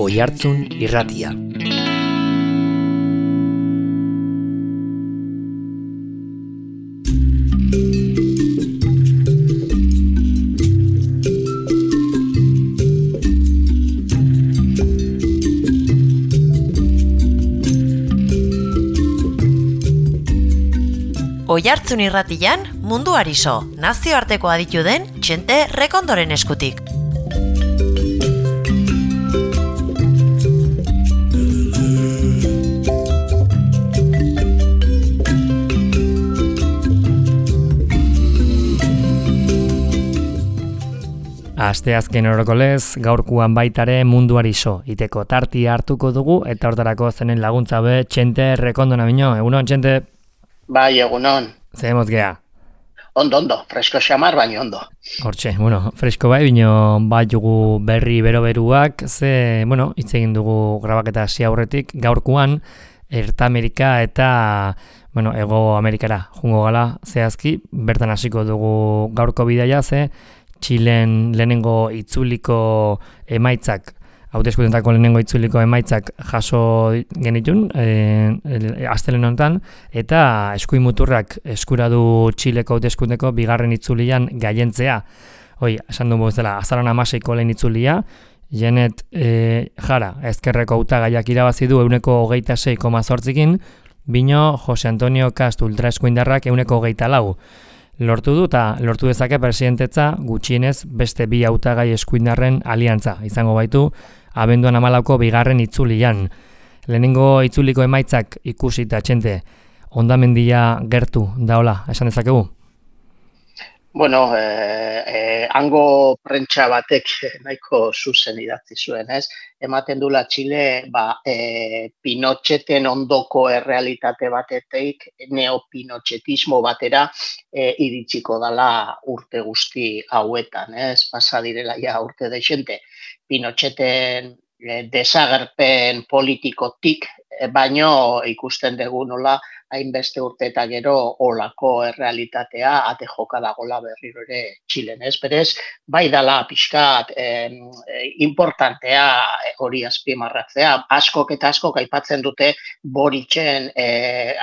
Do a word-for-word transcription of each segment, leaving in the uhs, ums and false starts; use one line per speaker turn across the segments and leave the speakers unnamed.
Oihartzun Irratia.
Oihartzun Irratian munduari so, nazioarteko aditu den Txente Rekondoren eskutik.
Asteazken orokolez, gaurkuan baitare munduari so, iteko tartia hartuko dugu, eta hortarako zenen laguntza be Txente Rekondona bino. Egunon, Txente?
Bai, egunon.
Zer mozgea?
Ondo, ondo, fresko xamar, baina ondo.
Hortxe, bueno, fresko bai, bino bai jugu berri bero-beruak, ze, bueno, hitz egin dugu grabaketa hasi aurretik, gaurkuan, Erta Amerika eta, bueno, Ego Amerikara jungo gala zehazki, bertan hasiko dugu gaurko bidaia, ze, Txilen lehenengo itzuliko emaitzak, hauteskundetako lehenengo itzuliko emaitzak jaso genitun, e, astelen honetan, eta eskuin muturrak eskura du Txileko hauteskundeko bigarren itzulian gaientzea. Hoi, esan dugu bezala, azaron hamaseiko lehen itzulia, Janet e, Jara, ezkerreko hautagaiak irabazi du euneko hogeita sei koma zortzikin, bino Jose Antonio Kast ultraeskuindarrak euneko hogeita lau. Lortu du eta lortu dezake presidentetza gutxienez beste bi hautagai eskuindarren aliantza izango baitu abenduan hamalauko bigarren itzulian. Lehenengo itzuliko emaitzak ikusita, Txente, hondamendia gertu daola, esan dezakegu?
Bueno, eh, eh, hango prentsa batek nahiko zuzen idatzi zuen, ez? Ematen dula Txile, ba, eh, Pinocheten ondoko errealitate batetik, neopinotxetismo batera eh, iritsiko dala urte guzti hauetan, ez? Pasa direla ja urte deixente. Pinocheten eh, desagerpen politikotik, eh, baino ikusten dugu nola hainbeste urte eta gero olako errealitatea ate joka dagola berriro ere Txilen, ez? Berez, bai dala pixkat eh, importantea hori azpimarratzea. Askok eta askok aipatzen dute Boritzen eh,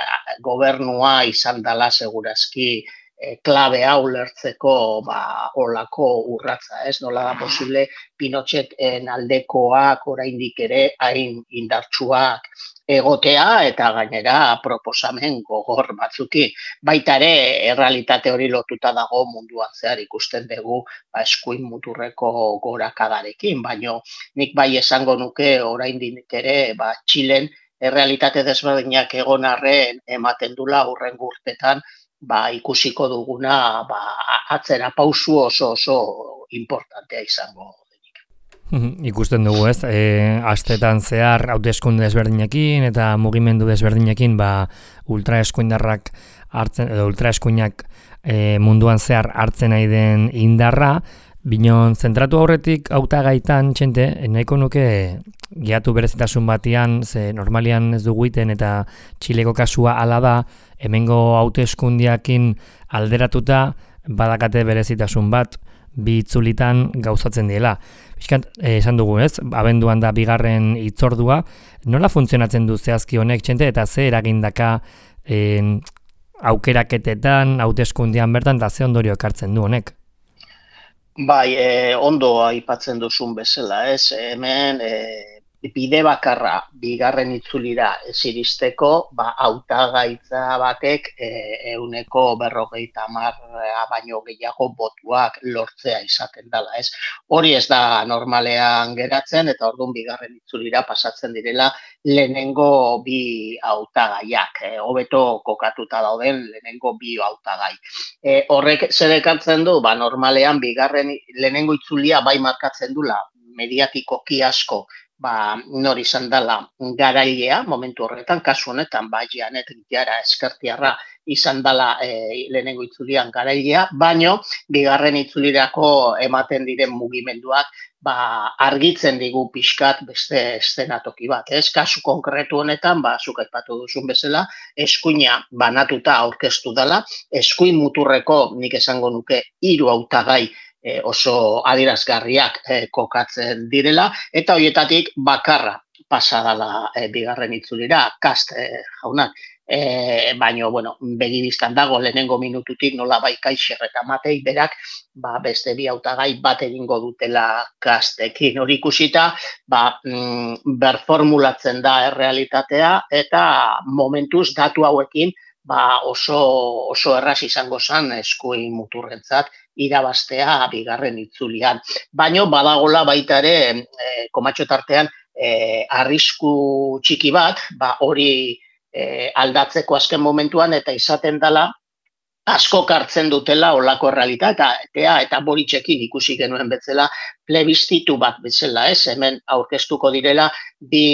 gobernua izan dala segurazki eh, klabe hau lertzeko ba, olako urratza, ez? Nola da posible Pinocheten aldekoak oraindik ere hain indartsuak egotea eta gainera proposamen gogor batzuki. Baita ere, errealitate hori lotuta dago munduan zehar ikusten dugu ba, eskuin muturreko gorakadarekin, baino nik bai esango nuke oraindik ere ba, Txilen errealitate desberdinak egon arren ematen dula hurrengo urtetan ba, ikusiko duguna ba, atzera pausu oso oso importantea izango.
Ikusten dugu, ez? E, astetan zehar hauteskunde desberdinekin eta mugimendu desberdinekin ba, ultraeskuindarrak hartzen edo ultraeskuinak e, munduan zehar hartzen nahi den indarra, binon zentratu aurretik hautagaitan, Txente, nahiko nuke gehiatu berezitasun batian, ze normalian ez dugu iten eta Txileko kasua hala da, hemengo hauteskundiakin alderatuta badakate berezitasun bat, bi itzulitan gauzatzen diela. Bizkat, eh, esan dugu, ez? Abenduan da bigarren hitzordua. Nola funtzionatzen du zehazki honek, Txente, eta ze eragindaka eh, aukeraketetan, hauteskundian bertan, eta ze ondorio ekartzen du honek?
Bai, eh, ondo aipatzen duzun bezala, ez? Hemen eh, bide bakarra bigarren itzulira ez iristeko, ba, hautagaitza batek eh, euneko berrogeita hamar baino gehiago botuak lortzea izaten dela, ez? Hori ez da normalean geratzen eta orduan bigarren itzulira pasatzen direla lehenengo bi hautagaiak, eh, hobeto kokatuta dauden lehenengo bi hautagai. Eh, horrek zer ekartzen du, ba, normalean bigarren lehenengo itzulia bai markatzen dula mediatikoki asko, ba, nor izan dela garailea, momentu horretan, kasu honetan, ba, Janet Jara eskertiarra izan dela e, lehenengo itzulian garailea, baino, bigarren itzulirako ematen diren mugimenduak, ba, argitzen digu pixkat beste eszenatoki bat. Ez, kasu konkretu honetan, ba, zuk aipatu duzun bezala, eskuina banatuta aurkeztu dela, eskuin muturreko, nik esango nuke, hiru hautagai e, oso adierazgarriak e, kokatzen direla, eta horietatik bakarra pasadala e, bigarren itzulira, Kast e, jaunak. E, baina, bueno, begibistan dago lehenengo minututik nola bai Kaixer eta Matei berak, ba, beste bi hautagai bat egingo dutela Kastekin. Hori ikusita, ba, mm, berformulatzen da errealitatea eta momentuz datu hauekin ba, oso, oso erraz izango zen eskuin muturrentzat irabaztea bigarren itzulian. Baina badagola baita ere, e, komatxo tartean, e, arrisku txiki bat, ba, hori E, aldatzeko azken momentuan eta izaten dela asko hartzen dutela olako errealitatea eta, eta Boritxekin ikusi genuen bezala plebistitu bat bezala, ez? Hemen aurkeztuko direla bi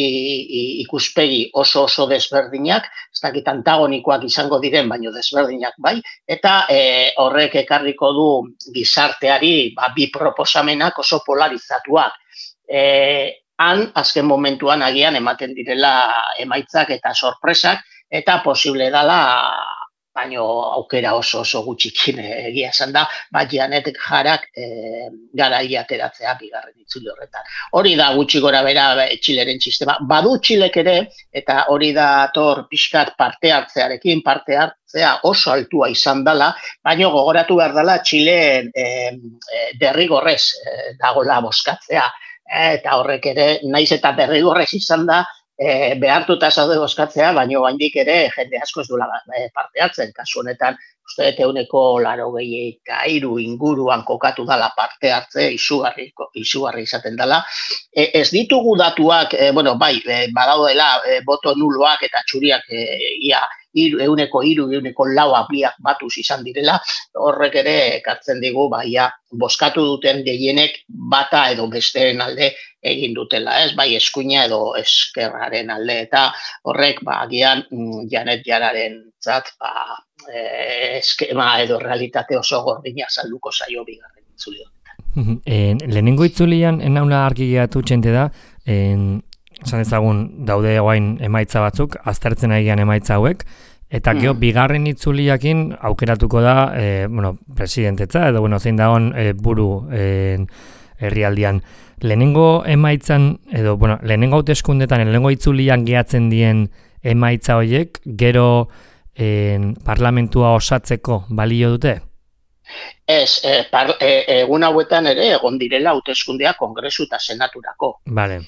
ikuspegi oso oso desberdinak, ez dakit antagonikoak izango diren, baino desberdinak bai, eta e, horrek ekarriko du gizarteari ba, bi proposamenak oso polarizatuak. E, Han, azken momentuan agian ematen direla emaitzak eta sorpresak, eta posible dela, baino aukera oso oso gutxikin egia esan da, bat Janet Jarak e, garaia ateratzea bigarren itzuli horretan. Hori da gutxi gora bera Txileren sistema. Badu Txilek ere, eta hori da tor pixkat parte hartzearekin, parte hartzea oso altua izan dela, baino gogoratu behar dela Txileen e, e, derrigorrez e, dagoela boskatzea. Eta horrek ere, naiz eta derrigorrez izan da, e, behartuta zaude bozkatzea, baina oraindik ere jende asko ez duela parte hartzen. Kasu honetan, uste dut ehuneko laurogei eta hiru inguruan kokatu dala parte hartze, izugarri, izugarri izaten dela. E, ez ditugu datuak, e, bueno, bai, e, badaudela e, boto nuloak eta txuriak e, ia ehuneko hiru, ehuneko lau apliak batuz izan direla, horrek ere ekartzen digu, baia, bozkatu duten gehienek bata edo besteen alde egin dutela, ez? Bai eskuina edo eskerraren alde, eta horrek, ba, agian, Janet Jararen zat, ba, e, eskema edo realitate oso gordina salduko zaio bigarren itzuli honetan.
En, lehenengo itzulian, enaula argi geratu txente da, en, esan ezagun daude guain emaitza batzuk, aztertzen egian emaitza hauek, eta gero mm. bigarren itzuliakin aukeratuko da, e, bueno, presidentetza, edo, bueno, zein dagoen e, buru e, herrialdian. Lehenengo emaitzan, edo, bueno, lehenengo hauteskundetan, lehenengo itzulian gehatzen dien emaitza horiek, gero e, parlamentua osatzeko balio dute?
Ez, e, par, e, egun hauetan ere egon direla hauteskundea Kongresu eta Senaturako.
Vale.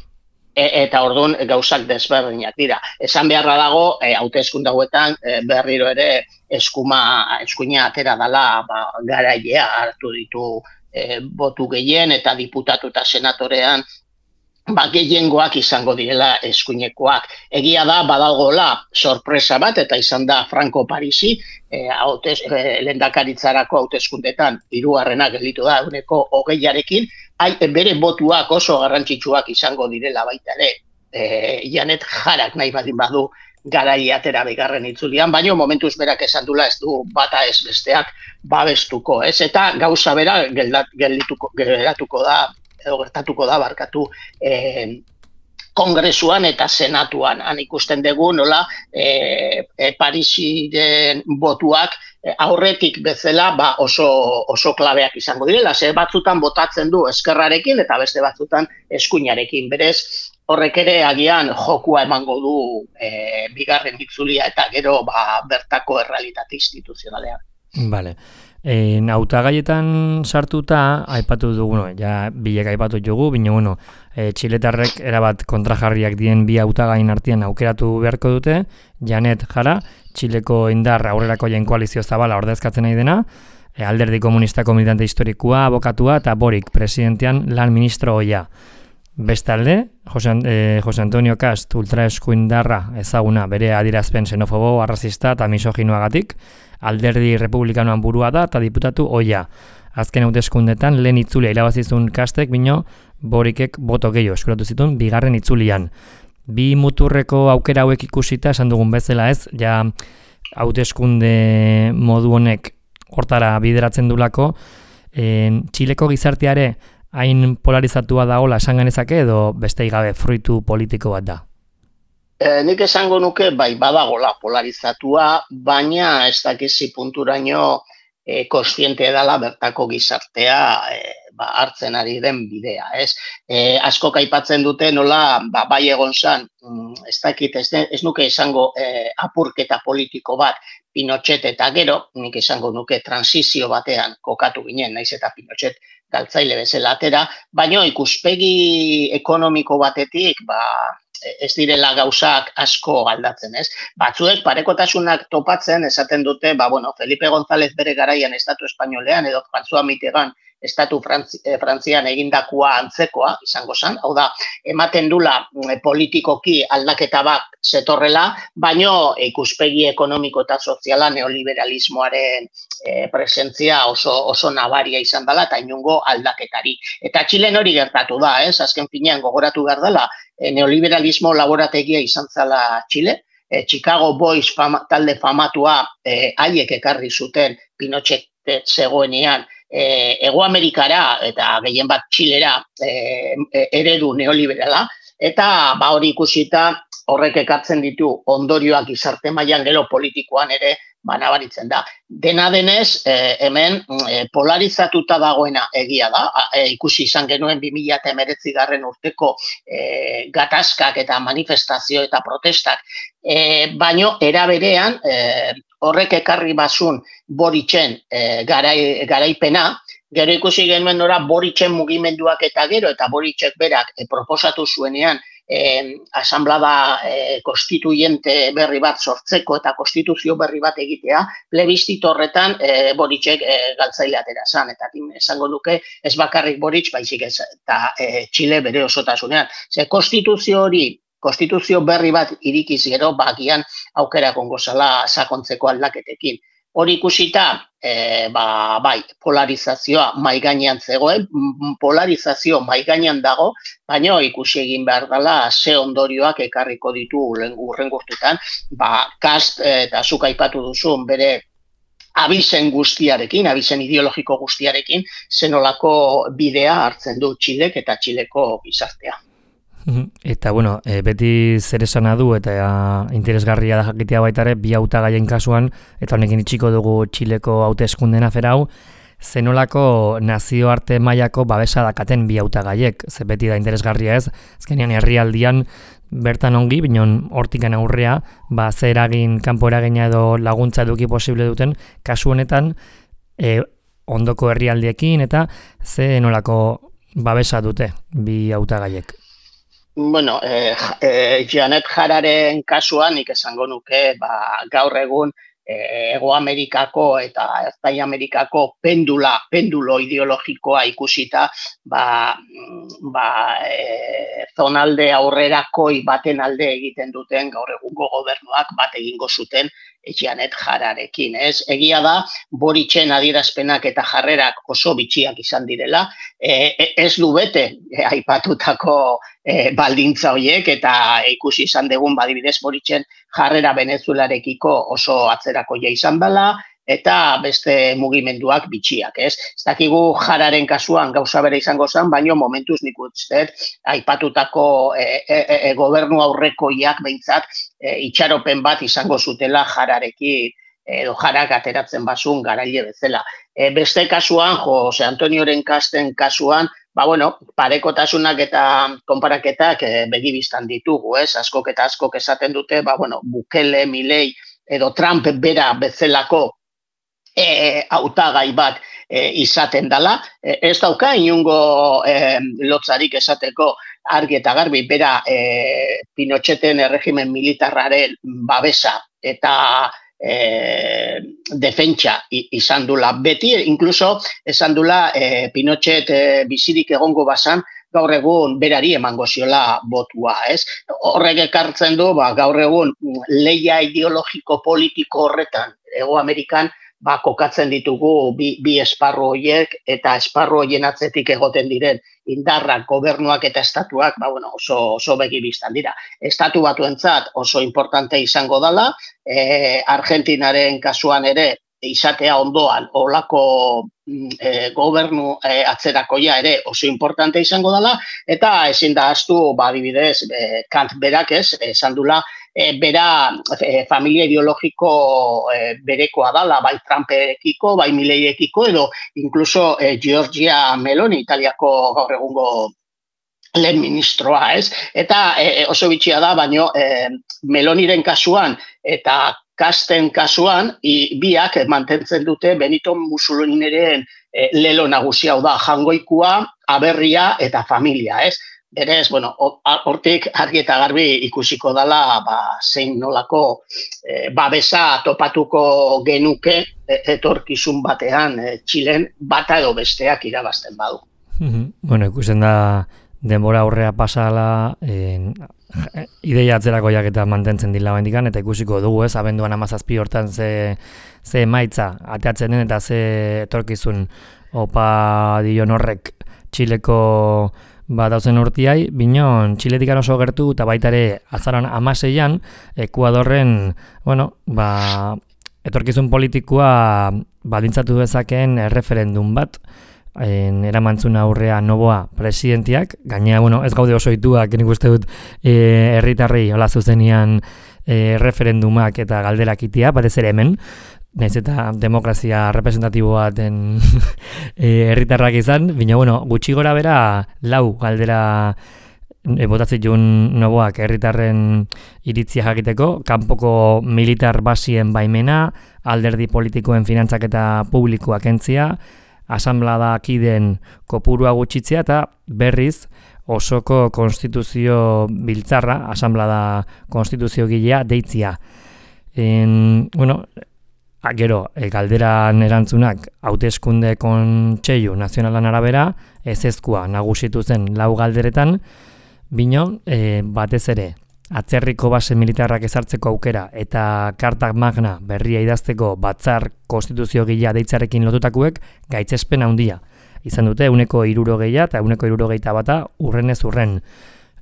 E, eta orduan gauzak desberdinak dira. Esan beharra dago, e, hauteskunde hauetan e, berriro ere eskuma, eskuina atera dela ba, garailea hartu ditu e, botu gehien eta diputatu eta senatorean ba, gehiengoak izango direla eskuinekoak. Egia da, badagola sorpresa bat, eta izan da Franco Parisi, e, hautes, e, lehendakaritzarako hauteskundetan hirugarrena gelditu da ehuneko hogeiarekin, Ai, bere botuak oso garrantzitsuak izango direla baita ere. E, Janet Jarak nahi badin badu garai atera bigarren itzulian, baina momentuz berak esan dula ez du bata ez besteak babestuko, ez? Eta gauza bera geldituko, geratuko da, edo gertatuko da barkatu e, Kongresuan eta Senatuan. Han ikusten dugu nola e, e, Parisiren botuak aurretik bezala ba oso, oso klabeak izango direla, ze batzutan botatzen du eskerrarekin eta beste batzutan eskuinarekin. Berez, horrek ere agian jokua emango du e, bigarren itzulia eta gero ba, bertako errealitate instituzionalean.
Vale. En hautagaietan sartuta aipatu dugu, bueno, ja bilek aipatu dugu, baina bueno, e, txiletarrek erabat kontrajarriak dien bi hautagain artean aukeratu beharko dute, Janet Jara, Txileko indar aurrerakoien koalizio zabala ordezkatzen nahi dena, e, Alderdi Komunistako militante historikoa, abokatua eta Borik presidentean lan ministro oia. Bestalde, Jose, eh, Jose Antonio Kast ultraeskuindarra ezaguna bere adierazpen xenofobo, arrazista eta misoginoagatik, Alderdi Republikanoan burua da eta diputatu oia. Azken hauteskundetan lehen itzulia irabazizun Kastek, bino Borikek boto gehiago eskuratu zituen bigarren itzulian. Bi muturreko aukera hauek ikusita esan dugun bezala ez, ja hauteskunde modu honek hortara bideratzen dulako, en, Txileko gizarteare hain polarizatua dagoela esan genezake edo beste gabe fruitu politiko bat da?
E, nik esango nuke bai badagola polarizatua, baina ez dakizi punturaino e, kontziente dela bertako gizartea e, ba, hartzen ari den bidea, ez? E, asko aipatzen dute nola, ba, bai egon zan, mm, ez dakit, ez, ez nuke esango e, apurketa politiko bat, Pinochet eta gero, nik esango nuke transizio batean kokatu ginen, naiz eta Pinochet galtzaile bezala atera, baino ikuspegi ekonomiko batetik, ba, ez direla gauzak asko aldatzen, ez? Batzuek parekotasunak topatzen esaten dute, ba, bueno, Felipe González bere garaian Estatu Espainolean edo François Mitterrand Estatu Frantzi, eh, Frantzian egindakoa antzekoa izango zen, hau da, ematen dula eh, politikoki aldaketa bat zetorrela, baino ikuspegi ekonomiko eta soziala neoliberalismoaren eh, presentzia oso, oso nabaria izan dela eta inungo aldaketari. Eta Txilen hori gertatu da, ez? Azken finean gogoratu behar dela, eh, neoliberalismo laborategia izan zela Txile, eh, Chicago Boys fama, talde famatua eh, haiek ekarri zuten Pinochet zegoenean, E, Ego Amerikara eta gehien bat Txilera e, eredu neoliberala, eta ba hori ikusita horrek ekartzen ditu ondorioak gizarte mailan gero politikoan ere banabaritzen da. Dena denez, e, hemen e, polarizatuta dagoena egia da, e, ikusi izan genuen bi mila hemeretzi garren urteko e, gatazkak eta manifestazio eta protestak, e, baino era berean, e, horrek ekarri basun Boritzen e, garai, garaipena, gero ikusi genuen nora Boritzen mugimenduak eta gero, eta Boritzek berak e, proposatu zuenean e, asamblada e, konstituyente berri bat sortzeko eta konstituzio berri bat egitea, plebistzito horretan e, Boritzek e, galtzaile atera zan, eta esango duke ez bakarrik Boric, baizik ez, eta e, Txile bere osotasunean. Ze konstituzio hori, konstituzio berri bat irikiz gero, bagian aukera gongo zala sakontzeko aldaketekin. Hori ikusita, e, ba, bai, polarizazioa maigainean zegoen, polarizazio maigainean dago, baina ikusi egin behar dela ze ondorioak ekarriko ditu urren gurtutan, ba, Kast eta zuk aipatu duzun bere abizen guztiarekin, abizen ideologiko guztiarekin, zenolako bidea hartzen du Txilek eta Txileko gizartea.
Eta, bueno, e, beti zer esana du eta ja, interesgarria da jakitea baita ere, bi hautagaien kasuan, eta honekin itxiko dugu Txileko hauteskunden afera hau, zenolako nazioarte mailako babesa dakaten bi hautagaiek, ze beti da interesgarria ez, azkenean herrialdian bertan ongi, binon hortikan aurrea, ba, ze eragin, kanpo eragina edo laguntza eduki posible duten, kasu honetan, e, ondoko herrialdiekin eta ze nolako babesa dute bi hautagaiek.
Bueno, eh, eh, Janet Jararen kasuan, nik esango nuke, ba, gaur egun eh, Ego Amerikako eta Ertai Amerikako pendula, pendulo ideologikoa ikusita, ba, ba, eh, zonalde aurrerakoi baten alde egiten duten gaur egungo gobernuak bat egingo zuten Janet Jararekin, ez? Egia da, Boritzen adierazpenak eta jarrerak oso bitxiak izan direla, e, ez du bete e, aipatutako e, baldintza horiek, eta ikusi izan dugun badibidez Boritzen jarrera Venezuelarekiko oso atzerakoia izan dela, eta beste mugimenduak bitxiak, ez? Ez dakigu Jararen kasuan gauza bere izango zen, baino momentuz nik uste aipatutako e, e, e, gobernu aurrekoiak behintzat e, itxaropen bat izango zutela Jararekin edo Jarak ateratzen basun garaile bezala. E, beste kasuan, Jose Antonioren Kasten kasuan, ba bueno, parekotasunak eta konparaketak e, begibistan ditugu, ez? Askok eta askok esaten dute, ba bueno, Bukele, Milei edo Trump bera bezalako E, hautagai bat e, izaten dela, e, ez dauka inungo e, lotzarik esateko argi eta garbi bera e, Pinocheten erregimen militarraren babesa eta e, defentsa izan dula beti, incluso esan dula e, Pinochet e, bizirik egongo basan, gaur egun berari emango ziola botua, ez? Horrek ekartzen du, ba, gaur egun leia ideologiko politiko horretan, Ego Amerikan, ba, kokatzen ditugu bi, bi esparru horiek eta esparru horien atzetik egoten diren indarrak, gobernuak eta estatuak, ba, bueno, oso, oso begibistan dira. Estatu batuentzat oso importante izango dela, e, Argentinaren kasuan ere izatea ondoan olako e, gobernu e, atzerakoia ere oso importante izango dela, eta ezin da ahaztu, ba, adibidez, e, Kant berak ez, esan dula, e, bera e, familia ideologiko e, berekoa dala, bai Trumperekiko, bai Milleiekiko, edo incluso e, Giorgia Meloni, Italiako gaur egungo lehen ministroa, ez? Eta e, oso bitxia da, baino e, Meloniren kasuan eta Casten kasuan, i, biak mantentzen dute Benito Mussoliniren e, lelo nagusia, hau da, jangoikua, aberria eta familia, ez? Berez, bueno, hortik argi eta garbi ikusiko dala, ba, zein nolako e, babesa topatuko genuke e, etorkizun batean e, Txilen bata edo besteak irabazten badu.
Bueno, ikusten da denbora aurrea pasala, en, ideia atzerakoiak eta mantentzen dila bendikan, eta ikusiko dugu ez, abenduan amazazpi hortan ze, ze emaitza ateatzen den eta ze etorkizun opa dion horrek Txileko ba, dauzen urtiai, binon Txiletik oso gertu eta baita ere azaran amaseian Ekuadorren, bueno, ba, etorkizun politikoa baldintzatu dezakeen erreferendum bat, en, eramantzun aurrea Noboa presidentiak, gainea, bueno, ez gaude oso ituak, nik uste dut e, herritarrei hola zuzenian e, referendumak eta galderak itia, batez ere hemen, nahiz eta demokrazia representatiboa den herritarrak izan, baina, bueno, gutxi gora bera lau galdera e, botatzitun Noboak herritarren iritzia jakiteko, kanpoko militar basien baimena, alderdi politikoen finantzak eta publikoa kentzia, asanblada kideen kopurua gutxitzea eta berriz osoko konstituzio biltzarra, asanblada konstituzio gilea deitzia. En, bueno, gero, e, galderan erantzunak hauteskunde kontseilu nazionalan arabera, ezezkoa nagusitu zen lau galderetan, bino, e, batez ere, atzerriko base militarrak ezartzeko aukera eta kartak magna berria idazteko batzar konstituzio gila deitzarekin lotutakuek gaitzespen handia. Izan dute euneko hirurogeia eta euneko hirurogeita bata urrenez urren.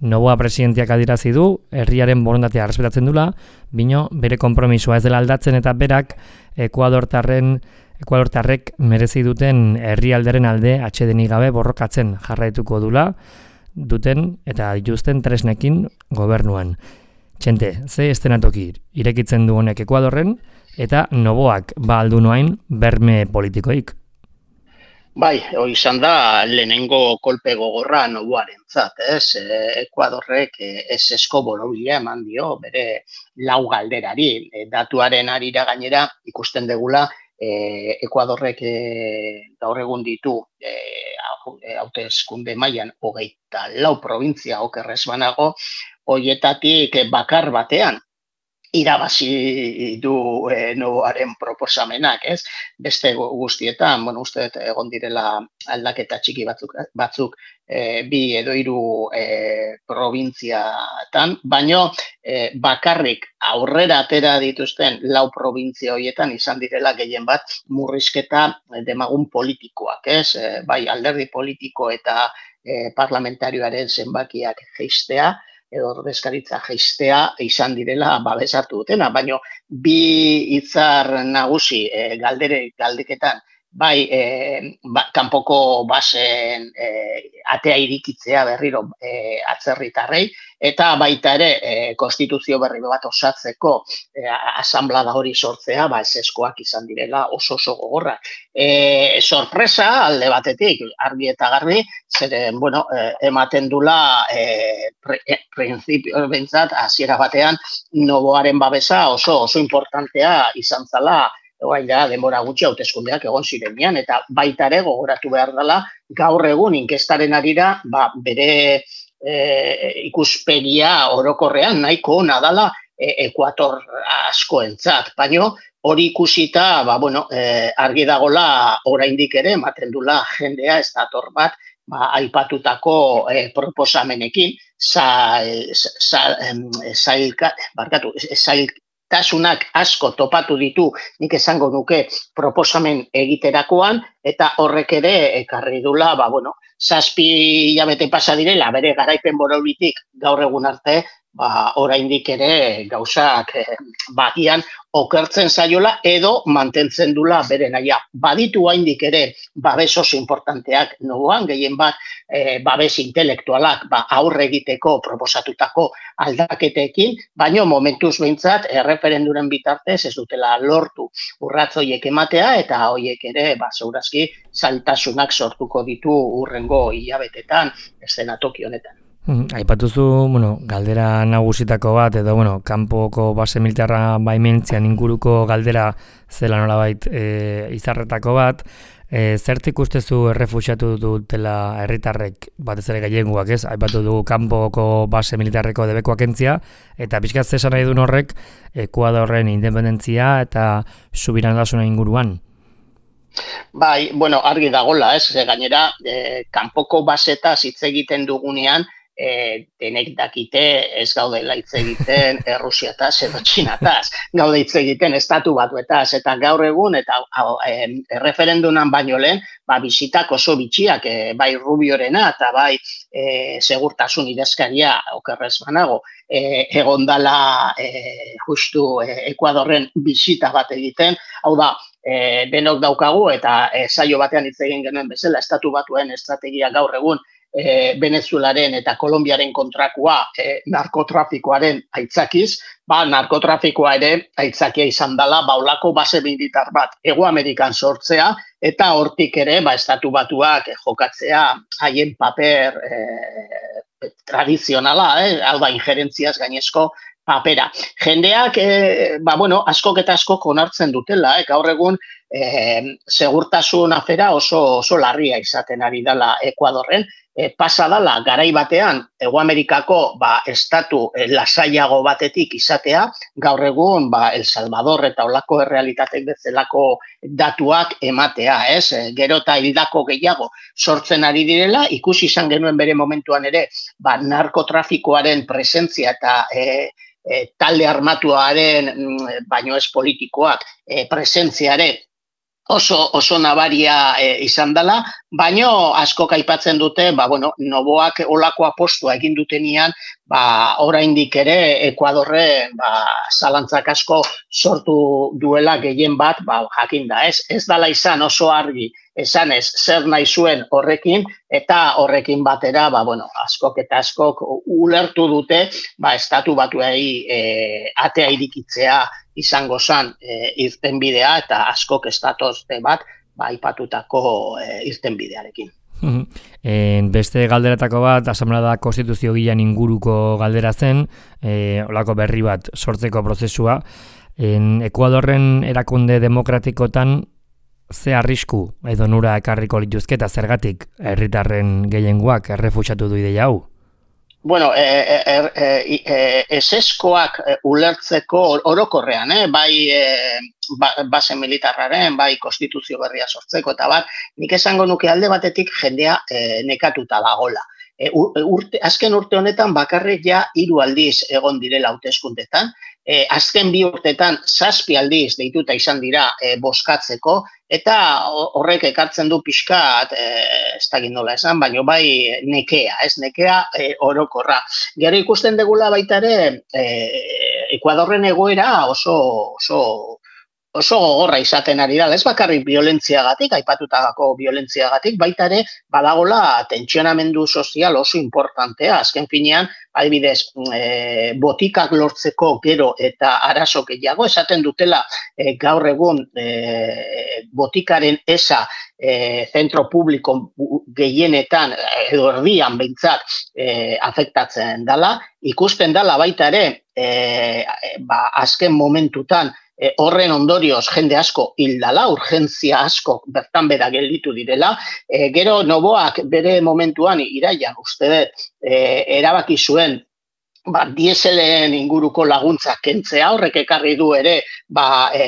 Noboa presidentiak adirazi du, herriaren borondatea errespetatzen dula, bino bere konpromisoa ez dela aldatzen eta berak Ekuadortarren Ekuadortarrek merezi duten herrialderen alde atsedenik gabe borrokatzen jarraituko dula, duten eta dituzten tresnekin gobernuan. Txente, ze estenatoki irekitzen du honek Ekuadorren eta Noboak ba aldu noain berme politikoik.
Bai, hori izan da lehenengo kolpe gogorra Noboarentzat, ez? Ekuadorrek ez esko borobila eman dio bere lau galderari. Datuaren arira gainera ikusten degula E, Ekuadorrek e, gaur egun ditu e, hauteskunde mailan hogeita lau provintzia okerrez banago, hoietatik bakar batean irabazi du e, Noboaren proposamenak, ez? Beste guztietan, bueno, uste egon direla aldaketa txiki batzuk, batzuk e, bi edo hiru e, provintziatan, baino e, bakarrik aurrera atera dituzten lau provintzia horietan izan direla gehien bat murrizketa demagun politikoak, ez? E, bai alderdi politiko eta e, parlamentarioaren zenbakiak jeistea, edo ordezkaritza jeistea izan direla babesatu dutena, baina bi hitzar nagusi e, galdere galdeketan, bai e, ba, kanpoko basen e, atea irikitzea berriro e, atzerritarrei, eta baita ere e, konstituzio berri bat osatzeko e, asanblada hori sortzea, ba eseskoak izan direla oso oso gogorra. E, sorpresa alde batetik, argi eta garbi, zeren, bueno, e, ematen dula e, pre, e, printzipio bentzat, hasiera batean, Noboaren babesa oso oso importantea izan zala, Egoain da, denbora gutxi hauteskundeak egon zirenean, eta baita ere gogoratu behar dela, gaur egun inkestaren arira, ba, bere e, ikuspegia orokorrean nahiko ona dela e, Ekuator askoentzat, baino hori ikusita, ba, bueno, e, argi dagola oraindik ere, ematen dula jendea ez dator bat, ba, aipatutako e, proposamenekin, zail, zail, zail, barkatu, zail, tasunak asko topatu ditu, nik esango nuke proposamen egiterakoan, eta horrek ere ekarri dula, ba, bueno, zazpi hilabete pasa direla, bere garaipen boraulitik gaur egun arte, ba, oraindik ere gauzak eh, bagian okertzen zaiola edo mantentzen dula bere naia. Baditu haindik ere babes oso importanteak noboan, gehien bat eh, babes intelektualak ba, aurre egiteko proposatutako aldaketekin, baino momentuz behintzat erreferenduren bitartez ez dutela lortu urratz horiek ematea eta horiek ere ba, segurazki zailtasunak sortuko ditu urrengo hilabetetan eszenatoki honetan.
Aipatuzu, bueno, galdera nagusitako bat, edo, bueno, kanpoko base militarra baimentzian inguruko galdera zela nolabait e, izarretako bat, e, zertik ustezu errefuxiatu dutela herritarrek batez ere gehiengoak, ez? Aipatu dugu kanpoko base militarreko debekoak entzia, eta pixkat zesan nahi duen horrek, Ekuadorren independentzia eta subiranotasuna inguruan.
Bai, bueno, argi dagola, ez? Gainera, e, kanpoko basetaz hitz egiten dugunean, E, denek dakite ez gaudela hitz egiten Errusiataz edo Txinataz, gaude hitz egiten estatu batuetaz, eta gaur egun, eta e, erreferendunan baino lehen, ba, bisitak oso bitxiak, e, bai Rubiorena eta bai e, segurtasun idazkaria okerrez banago, e, egondala e, justu e, Ekuadorren bisita bat egiten, hau da, e, denok daukagu eta e, saio batean hitz egin genuen bezala, estatu batuen estrategia gaur egun, E, Venezuelaren eta Kolonbiaren kontrakua e, narkotrafikoaren aitzakiz, ba, narkotrafikoa ere aitzakia izan dela baulako base militar bat Hego Amerikan sortzea eta hortik ere ba, estatu batuak e, jokatzea haien paper e, tradizionala, eh, hau da injerentziaz gainezko papera. Jendeak, e, ba, bueno, askok eta askok onartzen dutela, eh, gaur egun e, segurtasun afera oso, oso larria izaten ari dela Ekuadorren, E, pasa dala garai batean Hego Amerikako ba, estatu e, lasaiago batetik izatea, gaur egun ba, El Salvador eta olako errealitatek bezalako datuak ematea, ez? E, gero eta hildako gehiago sortzen ari direla, ikusi izan genuen bere momentuan ere ba, narkotrafikoaren presentzia eta e, e, talde armatuaren, baino ez politikoak, e, presentziare oso, oso nabaria e, izan dela, baino askok aipatzen dute, ba, bueno, noboak olako apostua egin dutenian, ba, oraindik ere Ekuadorren ba, zalantzak asko sortu duela gehien bat, ba, jakinda, ez? Ez dala izan oso argi, esanez zer nahi zuen horrekin, eta horrekin batera, ba, bueno, askok eta askok ulertu dute, ba, estatu batuei e, atea irikitzea izango zan e, irtenbidea, eta askok estatozte bat, ba, aipatutako e, irtenbidearekin.
En beste galderatako bat, asamblea konstituzio gilan inguruko galdera zen, e, olako berri bat sortzeko prozesua. En Ekuadorren erakunde demokratikotan ze arrisku edo nura ekarriko lituzke eta zergatik herritarren gehiengoak errefuxiatu du ideia hau?
Bueno, e, e, e, e, eseskoak ulertzeko orokorrean, eh? bai e, ba, base militarraren, bai konstituzio berria sortzeko, eta bat, nik esango nuke alde batetik jendea e, nekatuta dagola. E, urte, azken urte honetan bakarrik ja hiru aldiz egon direla hauteskundetan, e, azken bi urtetan zazpi aldiz deituta izan dira e, boskatzeko, eta horrek ekartzen du pixkat, e, ez dakit nola esan, baina bai nekea, ez nekea e, orokorra. Gero ikusten degula baita ere, e, Ekuadorren egoera oso, oso, oso gogorra izaten ari da, ez bakarrik violentziagatik, aipatutako violentziagatik, baita ere badagola tentsionamendu sozial oso importantea, azken finean, adibidez, e, botikak lortzeko gero eta arazo gehiago, esaten dutela e, gaur egun e, botikaren esa e, zentro publiko gehienetan, edo erdian behintzat, e, afektatzen dela, ikusten dela baita ere, e, ba, azken momentutan, E, horren ondorioz jende asko hildala, urgentzia asko bertan bera gelditu direla. E, gero noboak bere momentuan iraian uste dut e, erabaki zuen ba, dieselen inguruko laguntzak kentzea, horrek ekarri du ere ba, e,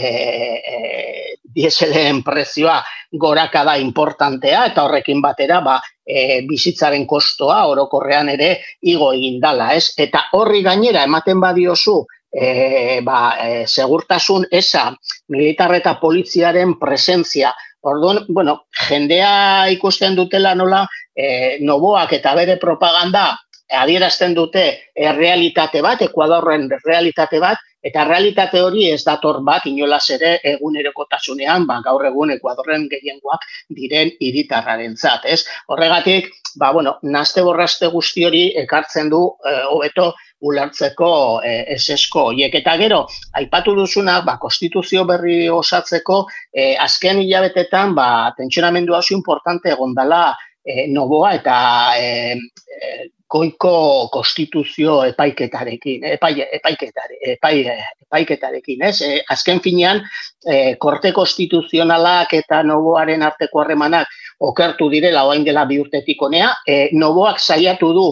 e, dieselen prezioa gorakada importantea eta horrekin batera ba, e, bizitzaren kostoa orokorrean ere igo egin dala, ez? Eta horri gainera ematen badiozu E, ba, e, segurtasun esa militar eta poliziaren presentzia. Orduan, bueno, jendea ikusten dutela nola e, noboak eta bere propaganda adierazten dute errealitate bat, Ekuadorren realitate bat, eta realitate hori ez dator bat inolaz ere egunerokotasunean, ba, gaur egun Ekuadorren gehiengoak diren hiritarrarentzat, ez? Horregatik, ba, bueno, naste borraste guzti hori ekartzen du hobeto eh, ulertzeko eh, esesko horiek. Eta gero, aipatu duzuna, ba, konstituzio berri osatzeko, eh, azken hilabetetan, ba, tentsionamendu oso importante egondala eh, Noboa eta eh, eh, goiko konstituzio epaiketarekin, epai, epaiketare, epai, epaiketarekin, ez? E, azken finean, e, korte konstituzionalak eta Noboaren arteko harremanak okertu direla orain dela bi urtetik honea, e, Noboak saiatu du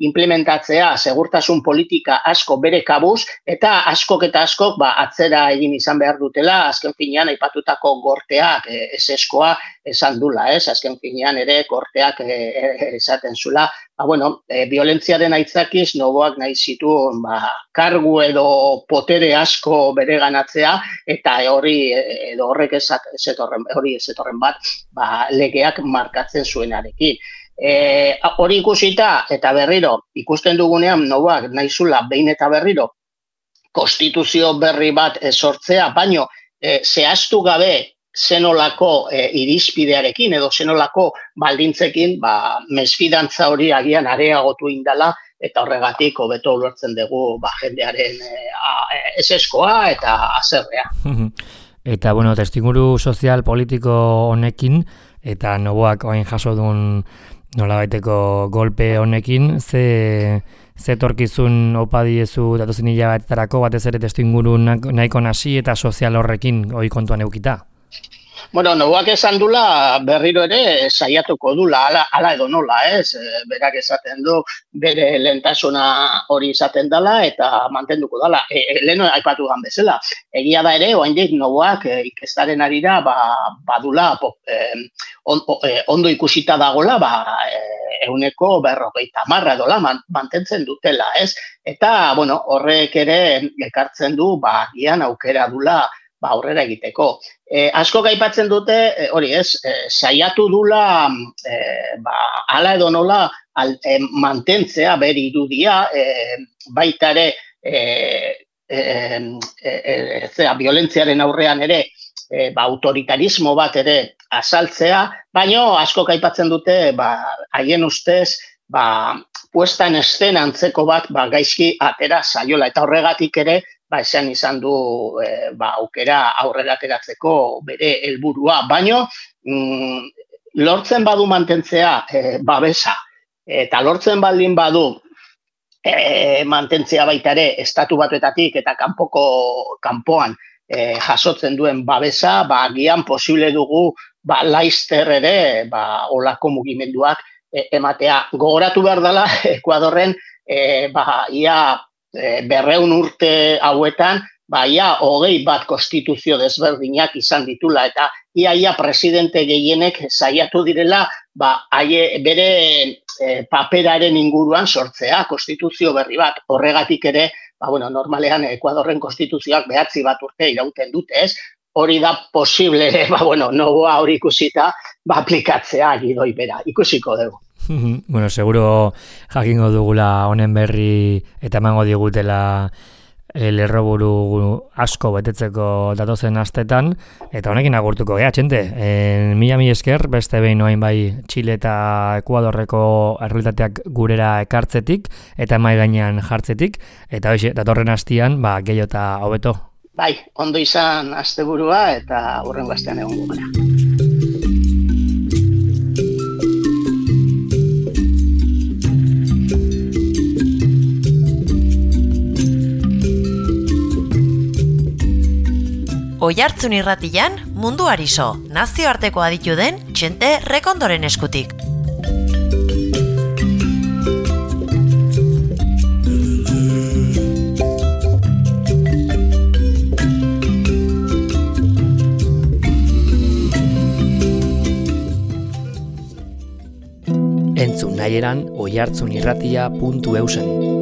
implementatzea segurtasun politika asko bere kabuz, eta askok eta askok ba, atzera egin izan behar dutela, azken finean aipatutako gorteak e, eseskoa esan dula, ez? Azken finean ere gorteak e, e, esaten zula, ba, bueno, e, violentziaren aitzakiz Noboak nahi zituen ba, kargu edo potere asko bereganatzea, eta hori edo horrek ez etorren, hori ez etorren bat, ba, legeak markatzen zuenarekin. E, hori ikusita eta berriro ikusten dugunean Noboak nahi zula behin eta berriro konstituzio berri bat sortzea, baino e, zehaztu gabe zenolako e, irizpidearekin edo zenolako baldintzekin, ba, mesfidantza hori agian areagotu indala, eta horregatik hobeto ulertzen dugu ba, jendearen e, eseskoa eta azerrea.
Eta, bueno, testinguru sozial politiko honekin, eta Noboak oain jaso duen nolabaiteko golpe honekin, ze, ze torkizun opa diezu datozen hilabetetarako batez ere testinguru nahiko nasi eta sozial horrekin hoi kontuan eukita?
Bueno, Noboak esan dula berriro ere saiatuko dula, ala, ala edo nola, ez? Berak esaten du bere lehentasuna hori izaten dela eta mantenduko dela. E, e, lehen aipatu gan bezala. Egia da ere, oraindik Noboak e, ikestaren arira ba, badula e, on, e, ondo ikusita dagola, ba, e, euneko berrogeita marra dola man, mantentzen dutela, ez? Eta, bueno, horrek ere ekartzen du, ba, gian aukera dula ba, aurrera egiteko. E, asko gaipatzen dute, e, hori ez, e, saiatu dula, e, ba, ala edo nola al, e, mantentzea bere irudia, e, baita ere, e, e, e, e, zera, violentziaren aurrean ere, e, ba, autoritarismo bat ere azaltzea, baino asko gaipatzen dute, ba, haien ustez, ba, puesta en escena antzeko bat, ba, gaizki atera zaiola, eta horregatik ere, ba, esan izan du e, ba, aukera aurrera ateratzeko bere helburua, baino mm, lortzen badu mantentzea e, babesa, eta lortzen baldin badu e, mantentzea baita ere estatu batuetatik eta kanpoko kanpoan e, jasotzen duen babesa, ba, agian posible dugu ba, laizter ere ba, olako mugimenduak e, ematea. Gogoratu behar dela, Ekuadorren e, ba, ia E, berreun urte hauetan, ba, ia hogei bat konstituzio desberdinak izan ditula, eta ia ia presidente gehienek saiatu direla, ba, aie, bere e, paperaren inguruan sortzea, konstituzio berri bat, horregatik ere, ba, bueno, normalean Ekuadorren konstituzioak behatzi bat urte irauten dute, ez? Hori da posible, ba, bueno, Noboa hori ikusita, ba, aplikatzea gidoi bera, ikusiko dugu.
Bueno, seguro jakingo dugula honen berri eta emango digutela lerroburu asko betetzeko datozen astetan, eta honekin agurtuko gea, txente. E, mila mi esker, beste behin noain bai Txile eta Ekuadorreko errealitateak gurera ekartzetik, eta mai gainean jartzetik, eta hoxe, datorren astian, ba, gehiago eta hobeto.
Bai, ondo izan asteburua eta hurrengo astean egongo gara.
Oihartzun irratian, munduari so, nazioarteko aditu den Txente Rekondoren eskutik.
Entzun nahieran oihartzunirratia puntu eusen.